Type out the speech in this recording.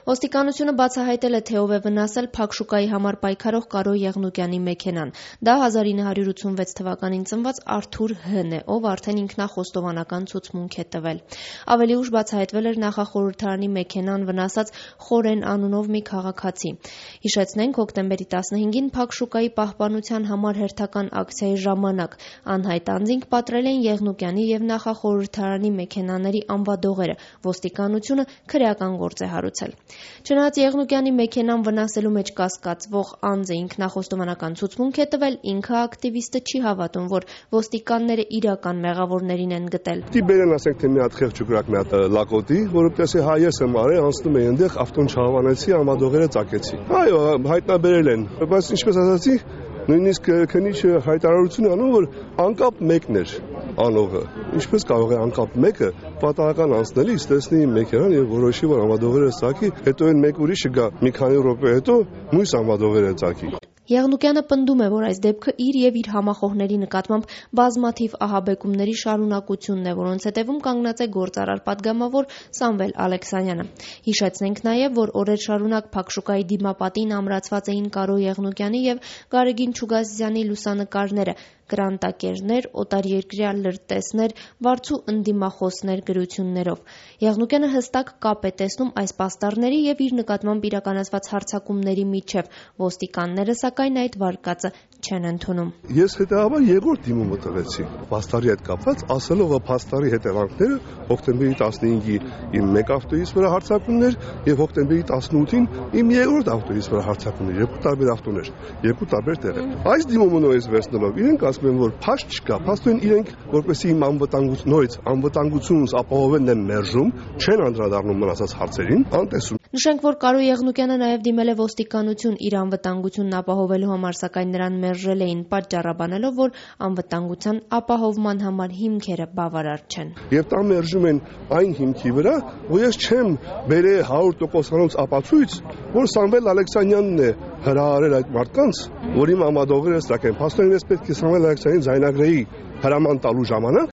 Ոստիկանությունը բացահայտել է, թե ով է վնասել Փակ շուկայի համար պայքարող Կարո Եղնուկյանի մեքենան։ Դա 1986 թվականին ծնված Արթուր Հ-ն է, ով արդեն ինքնախոստովանական ցուցմունք է տվել։ Ավելի ուշ բացահայտվել էր նախախորհրդարանի մեքենան վնասած Խորեն անունով մի քաղաքացի։ Հիշեցնենք, հոկտեմբերի 15-ին Փակ շուկայի պահպանության համար հերթական ակցիայի ժամանակ անհայտ անձինք պատռել էին Եղնուկյանի և նախախորհրդարանի մեքենաների անվադողերը։ Ոստիկանությունը քրեական գործ է հարուցել։ Չնայած Եղնուկյանի մեքենան վնասելու մեջ կասկածվող անձը ինքնախոստովանական ցուցմունք է տվել, ինքը ակտիվիստը չի հավատում, որ ոստիկանները իրական մեղավորներին են գտել։ Բերեն ասենք թե մի հատ խեղճ կրակ, մի հատ լակոտի, որովհետեւ հա ես եմ արել, անցնում էի այնտեղ, ավտոն չհավանեցի, ամադողերը ծակեցի։ Այո, հայտնաբերել են, բայց ինչպես ասացի, նույնիսկ քննիչը հայտարարություն անում, որ անկապ մեկն էր անողը։ Ինչպես կարող է անկապ մեկը պատահական անցնելիս տեսնի մեքենան եւ որոշի, որ ամադողերը ծակի, հետո այն մեկ ուրիշը գա մի քանի րոպե հետո մյուս ամադողերը ծակի։ Եղնուկյանը պնդում է, որ այս դեպքը իր եւ իր համախոհների նկատմամբ բազմաթիվ ահաբեկումների շարունակությունն է, որոնց հետևում կանգնած է գործարար պատգամավոր Սամվել Ալեքսանյանը։ Հիշեցնենք նաեւ, որ օրեր շարունակ Փակ շուկայի դիմապատին ամրացված էին Կարո Եղնուկյանի եւ Գարեգին Չուգասյանի լուսանկարները, կրանտակերներ, օտարերկրյա լրտեսներ, վարձու ընդդիմախոսներ գրություններով։ Եղնուկյանը հստակ կապ է տեսնում այս պաստառների եւ իր նկատմամբ իրականացված հարձակումների միջև։ Ոստիկանները սակայն այդ վարկածը չեն ընդունում։ Ես հետեւաբար երկրորդ դիմումը տվեցի պաստառի հետ կապված, ասելով որ պաստառի հետևանքները հոկտեմբերի 15-ի իմ մեկ ավտոյից վրա հարձակումներ եւ հոկտեմբերի 18-ին իմ երկրորդ ավտոյից վրա հարձակումներ, երկու տարբեր ավտոներ, երկու տարբեր տեղեր։ Այս դիմումը նույնպես վերցնելով իրենք ասում են որ փաստ չկա, փաստորեն իրենք որպեսզի իմ անվտանգությունս ապահովեն են մերժում, չեն անդրադառնում մնացած հարցերին, անտեսում։ Նշենք, որ Կարո Եղնուկյանը նաև դիմել է ոստիկանություն իր անվտանգությունն ապահովելու համար, սակայն նրան մերժել էին, պատճառաբանելով, որ անվտանգության ապահովման համար հիմքերը բավարար չեն։ Եվ դա մերժում են այն հիմքի վրա, որ ես չեմ բերել 100%-անոց ապացույց, որ Սամվել Ալեքսանյանն է հրահարել այդ մարդկանց, որ իմ ամադողերը սակայն փաստորեն ես պետք է Սամվել Ալեքսանյանին ձայնագրեի հրաման տալու ժամանակ,